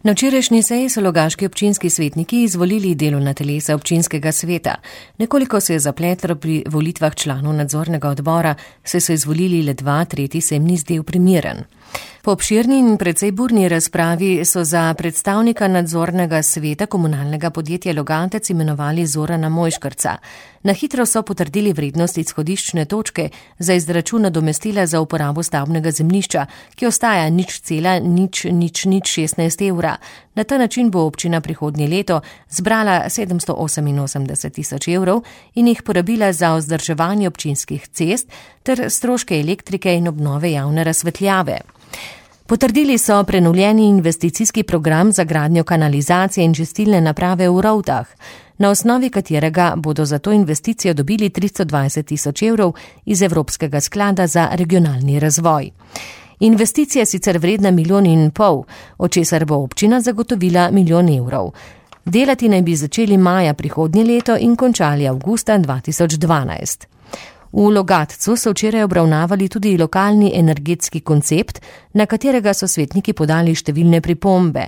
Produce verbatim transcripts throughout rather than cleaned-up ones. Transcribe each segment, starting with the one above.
Na včerajšnji seji so logaški občinski svetniki izvolili delovna telesa občinskega sveta. Nekoliko se je zapletlo pri volitvah članov nadzornega odbora, saj so izvolili le dva, tretji se jim ni zdel primeren. Po obširni in precej burni razpravi so za predstavnika nadzornega sveta komunalnega podjetja Logatec imenovali Zorana Mojškerca. Na hitro so potrdili vrednost izhodiščne točke za izračun nadomestila za uporabo stavbnega zemljišča, ki ostaja nič cela nič nič nič šestnajst evra. Na ta način bo občina prihodnje leto zbrala sedemsto oseminosemdeset tisoč evrov in jih porabila za vzdrževanje občinskih cest ter stroške elektrike in obnove javne razsvetljave. Potrdili so prenovljeni investicijski program za gradnjo kanalizacije in čistilne naprave v Rovtah, na osnovi katerega bodo za to investicijo dobili tristo dvajset tisoč evrov iz Evropskega sklada za regionalni razvoj. Investicija je sicer vredna milijon in pol, od česar bo občina zagotovila milijon evrov. Delati naj bi začeli maja prihodnje leto in končali avgusta dva tisoč dvanajst. V Logatcu so včeraj obravnavali tudi lokalni energetski koncept, na katerega so svetniki podali številne pripombe.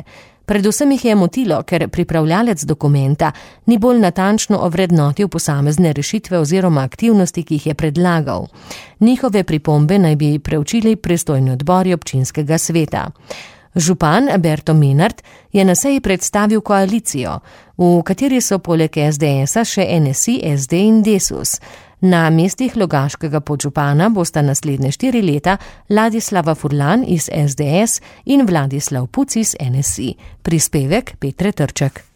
Predvsem jih je motilo, ker pripravljalec dokumenta ni bolj natančno ovrednotil posamezne rešitve oziroma aktivnosti, ki jih je predlagal. Njihove pripombe naj bi preučili pristojni odbori občinskega sveta. Župan Berto Menard je na seji predstavil koalicijo, v kateri so poleg es de esa še en es i, es de in Desus. Na mestih logaškega podžupana bosta naslednje štiri leta Ladislava Furlan iz es de es in Vladislav Puc iz en es i. Prispevek Petre Trček.